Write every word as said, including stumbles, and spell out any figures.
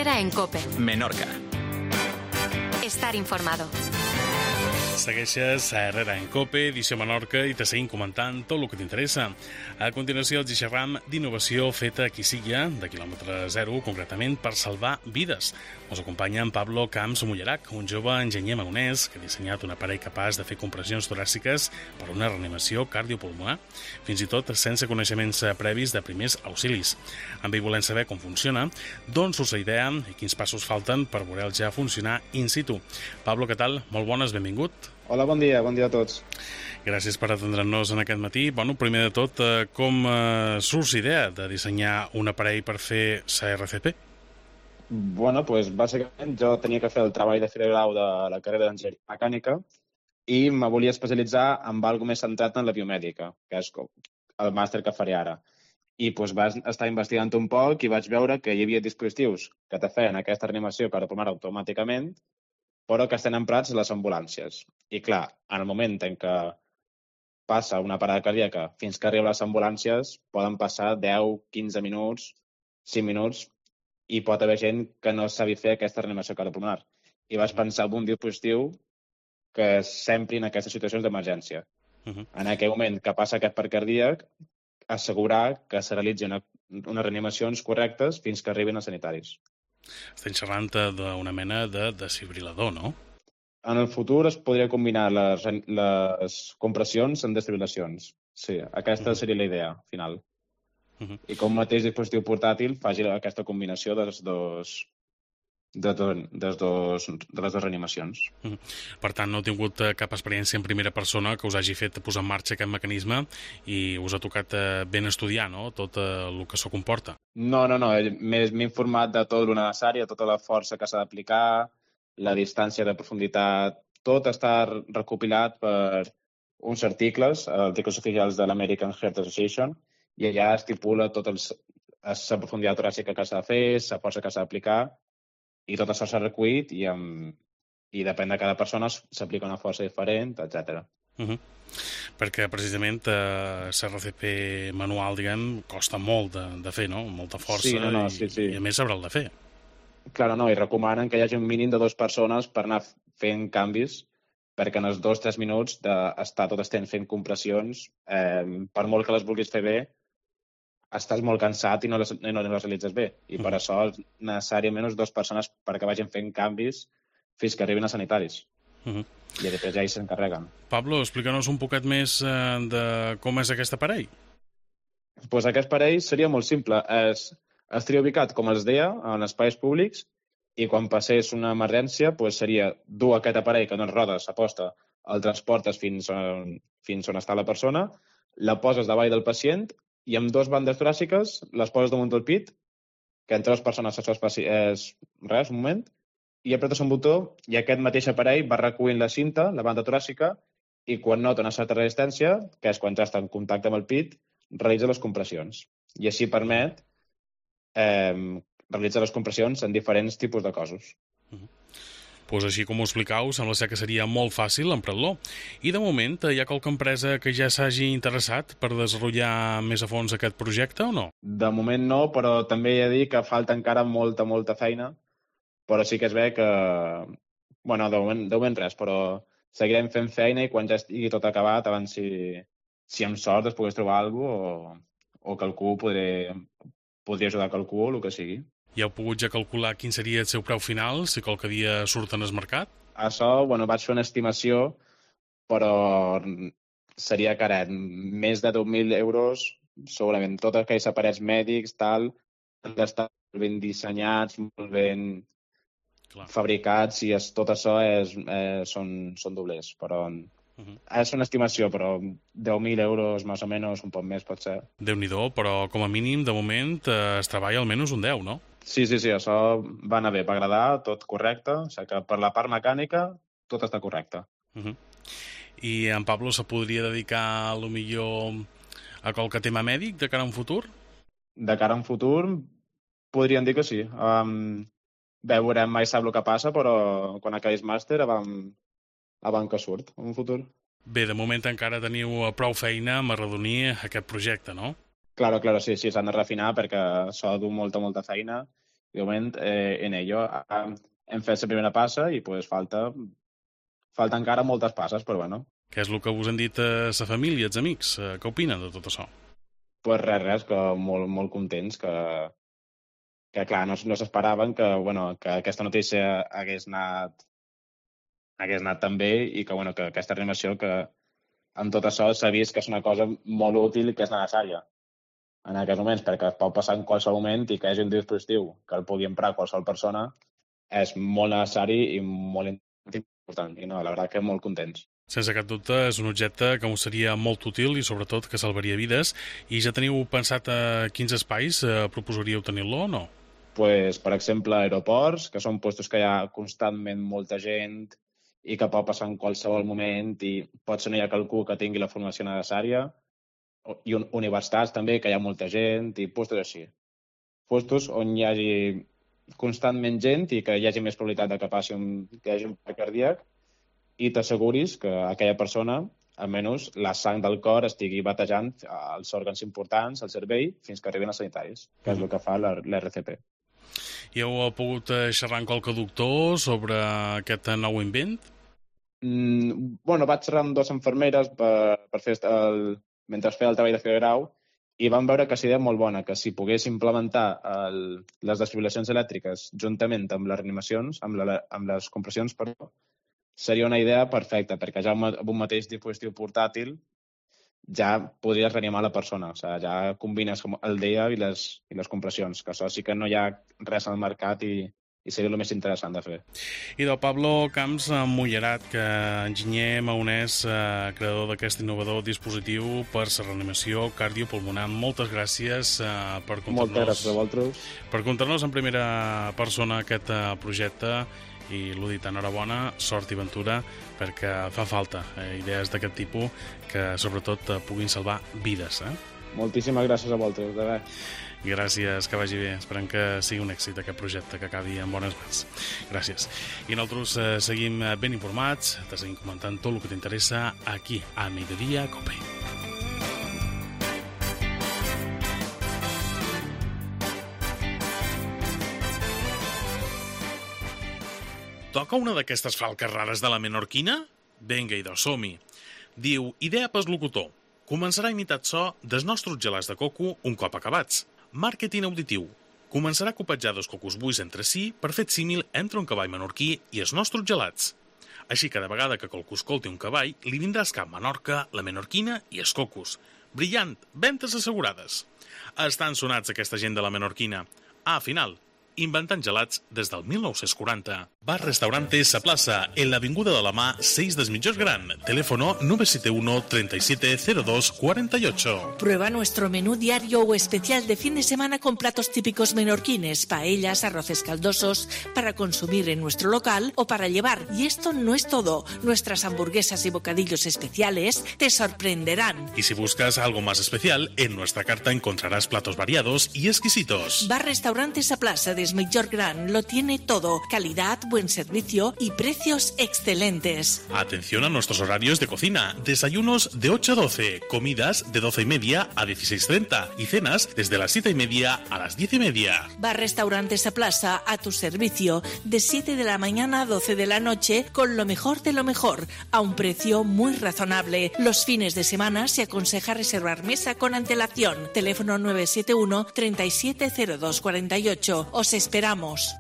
Herrera en COPE. Menorca. Estar informado. Segueixes a Herrera en COPE, edició Menorca, i te seguim comentant tot el que t'interessa. A continuació, els xerram d'innovació feta a Quisilla, de quilòmetre zero, concretament per salvar vides. Ens acompanya en Pablo Camps Mullerac, un jove enginyer magonès que ha dissenyat un aparell capaç de fer compressions toràciques per una reanimació cardiopulmonar, fins i tot sense coneixements previs de primers auxilis. Amb ell volem saber com funciona, d'on surt la idea i quins passos falten per veure-el ja funcionar in situ. Pablo, què tal? Molt bones, benvingut. Hola, bon dia, bon dia a tots. Gràcies per atendre'ns en aquest matí. Bueno, primer de tot, com eh, surt l'idea de dissenyar un aparell per fer la R C P? Bueno, doncs bàsicament jo tenia que fer el treball de fi de grau de la carrera d'enginyeria mecànica i me volia especialitzar en alguna més centrat en la biomèdica, que és el màster que faré ara. I doncs vaig estar investigant un poc i vaig veure que hi havia dispositius que te feien aquesta reanimació cardiopulmonar automàticament, però que estan emprats a les ambulàncies. I clar, en el moment en què passa una parada cardíaca fins que arriba a les ambulàncies, poden passar deu, quinze minuts, cinc minuts, i pot haver gent que no sabi fer aquesta reanimació cardiopulmonar. I vaig pensar en un dispositiu que s'empri en aquestes situacions d'emergència. Uh-huh. En aquell moment que passa aquest part cardíac, assegurar que se realitzin una, unes reanimacions correctes fins que arribin els sanitaris. Estem xerrant d'una mena de desfibrilador, no? En el futur es podria combinar les, les compressions amb desfibrilacions. Sí, aquesta uh-huh. seria la idea final. Uh-huh. I com mateix dispositiu portàtil faci aquesta combinació dels dos, de, dos, dels dos, de les dues reanimacions. Uh-huh. Per tant, no heu tingut cap experiència en primera persona que us hagi fet posar en marxa aquest mecanisme i us ha tocat ben estudiar, no?, tot el que això comporta. No, no, no. M'he informat de tot el necessari, de tota la força que s'ha d'aplicar, la distància de profunditat, tot està recopilat per uns articles, articles oficials de l'American Heart Association, i allà estipula tota la profunditat toràcica que s'ha de fer, la força que s'ha d'aplicar, i tot això s'ha recollit i, amb, i depèn de cada persona s'aplica una força diferent, etcètera. Uh-huh. Perquè precisament eh, la R C P manual, diguem, costa molt de, de fer, no? Molta força, sí, no, no, i, sí, sí. i a més sabrà el de fer. Clar, no, i recomanen que hi hagi un mínim de dues persones per anar fent canvis, perquè en els dos o tres minuts d'estar tot estent fent compressions, eh, per molt que les vulguis fer bé, estàs molt cansat i no les, i no les realitzes bé. I per uh-huh. això és necessari almenys dues persones perquè vagin fent canvis fins que arribin a sanitaris. Uh-huh. I després ja hi s'encarreguen. Pablo, explica'ns un poquet més eh, de com és aquest aparell. Pues aquest aparell seria molt simple. Es, estaria ubicat, com els deia, en espais públics i quan passés una emergència pues seria dur aquest aparell que no es roda, s'aposta, el transportes fins on, fins on està la persona, la poses davall del pacient i amb dues bandes toràciques les poses damunt del pit, que entre dues persones això és, és res, un moment, i apretes un botó i aquest mateix aparell va recollint la cinta, la banda toràcica, i quan nota una certa resistència, que és quan ja està en contacte amb el pit, realitza les compressions. I així permet eh, realitzar les compressions en diferents tipus de cossos. Uh-huh. Pues així com ho explicau, sembla ser que seria molt fàcil emprar-lo. I de moment, hi ha qualque empresa que ja s'hagi interessat per desenvolupar més a fons aquest projecte o no? De moment no, però també he de dir que falta encara molta, molta feina, però sí que es ve que... Bueno, de moment, de moment res, però seguirem fent feina i quan ja estigui tot acabat, abans si, si amb sort es pogués trobar alguna cosa o, o que algú podré, podria ajudar a algú o el que sigui. Ja heu pogut ja calcular quin seria el seu preu final, si qualque dia surten al mercat? Això, bueno, vaig fer una estimació, però seria caret. Més de deu mil euros, segurament. Tots aquells aparells mèdics, tal, han d'estar ben dissenyats, molt ben Clar. fabricats, i es, tot això és, eh, són, són doblers, però... Uh-huh. És una estimació, però deu mil euros, més o menys, un poc més, pot ser. Déu-n'hi-do, però com a mínim, de moment, eh, es treballa almenys un deu, no? Sí, sí, sí, això va anar bé, va agradar, tot correcte, o sigui que per la part mecànica tot està correcte. Uh-huh. I en Pablo se podria dedicar, a lo millor, a qualque tema mèdic de cara a un futur? De cara a un futur, podríem dir que sí. Um, bé, veurem, mai sap el que passa, però quan acabis màster, vam... abans que surt, en un futur. Bé, de moment encara teniu prou feina amb arredonir aquest projecte, no? Claro, claro, sí, sí, s'han de refinar perquè s'ha de dur molta, molta feina De moment, eh, en ello hem fet la primera passa i pues, falta, falta encara moltes passes, però bueno. Què és el que us han dit a la família, els amics? Què opinen de tot això? Pues res, res, que molt, molt contents, que, que clar, no, no s'esperaven que, bueno, que aquesta notícia hagués anat, hagués anat tan bé i que, bueno, que aquesta reanimació, que amb tot això s'ha vist que és una cosa molt útil i que és necessària en aquests moments, perquè es pot passar en qualsevol moment i que hi hagi un dispositiu que el pugui emprar qualsevol persona és molt necessari i molt important. I no, la veritat que molt contents. Sense cap dubte, és un objecte que us seria molt útil i sobretot que salvaria vides. I ja teniu pensat a quins espais eh, proposaríeu tenir-lo o no? Pues, per exemple, aeroports, que són puestos que hi ha constantment molta gent i que pot passar en qualsevol moment i potser no hi ha qualcú que tingui la formació necessària, i universitats també, que hi ha molta gent, i puestos així. Puestos on hi hagi constantment gent i que hi hagi més probabilitat de que passi un, que hi hagi un atac cardíac, i t'asseguris que aquella persona, almenys la sang del cor estigui batejant els òrgans importants, el cervell, fins que arribin els sanitaris, que és el que fa l'R C P. I heu pogut xerrar amb qualque doctor sobre aquest nou invent? Mm, bueno, vaig xerrar amb dues infermeres per, per fer el, mentre feia el treball de fer grau, i vam veure que és idea molt bona, que si pogués implementar el, les desfibrilacions elèctriques juntament amb les reanimacions, amb, la, amb les compressions, perdó, seria una idea perfecta, perquè ja amb un mateix dispositiu portàtil ja podries reanimar la persona. O sigui, ja combines el D E A i les, i les compressions, que això sí que no hi ha res al mercat i, i seria el més interessant de fer. I del Pablo Camps Mullerat, que enginyer maonès, eh, creador d'aquest innovador dispositiu per la reanimació cardiopulmonar. Moltes gràcies eh, per contar-nos... Moltes gràcies a vosaltres. Per contar-nos en primera persona aquest eh, projecte. I l'ho dit, enhorabona, sort i ventura, perquè fa falta eh, idees d'aquest tipus que sobretot eh, puguin salvar vides. Eh? Moltíssimes gràcies a vosaltres, de bé. Gràcies, que vagi bé. Esperem que sigui un èxit aquest projecte, que acabi en bones mans. Gràcies. I nosaltres eh, seguim ben informats, te seguim comentant tot el que t'interessa aquí, a Mediodía Cope. Toca una d'aquestes falques rares de la menorquina? Vinga, idò, som-hi. Diu, idea pas locutor. Començarà a imitar so dels nostres gelats de coco un cop acabats. Màrqueting auditiu. Començarà a copejar dos cocos buits entre si per fer símil entre un cavall menorquí i els nostres gelats. Així, cada vegada que qualcú escolti un cavall, li vindrà al cap Menorca, la menorquina i els cocos. Brillant, ventes assegurades. Estan sonats aquesta gent de la menorquina. Ah, final, inventant gelats des del mil nou-cents quaranta. Bar Restaurante Sa Plaza, en l'avinguda de la Mà, seis del Mitjós Gran. Teléfono nueve siete uno, treinta y siete, cero dos, cuarenta y ocho. Prueba nuestro menú diario o especial de fin de semana con platos típicos menorquines, paellas, arroces caldosos, para consumir en nuestro local o para llevar. Y esto no es todo. Nuestras hamburguesas y bocadillos especiales te sorprenderán. Y si buscas algo más especial, en nuestra carta encontrarás platos variados y exquisitos. Bar Restaurante Sa Plaza de Mitjós Gran lo tiene todo. Calidad, buen servicio y precios excelentes. Atención a nuestros horarios de cocina. Desayunos de ocho a doce, comidas de doce y media a dieciséis treinta y cenas desde las siete y media a las diez y media. Bar Restaurante Sa Plaza a tu servicio de siete de la mañana a doce de la noche con lo mejor de lo mejor a un precio muy razonable. Los fines de semana se aconseja reservar mesa con antelación. Teléfono nueve siete uno, treinta y siete, cero dos, cuarenta y ocho. Os esperamos.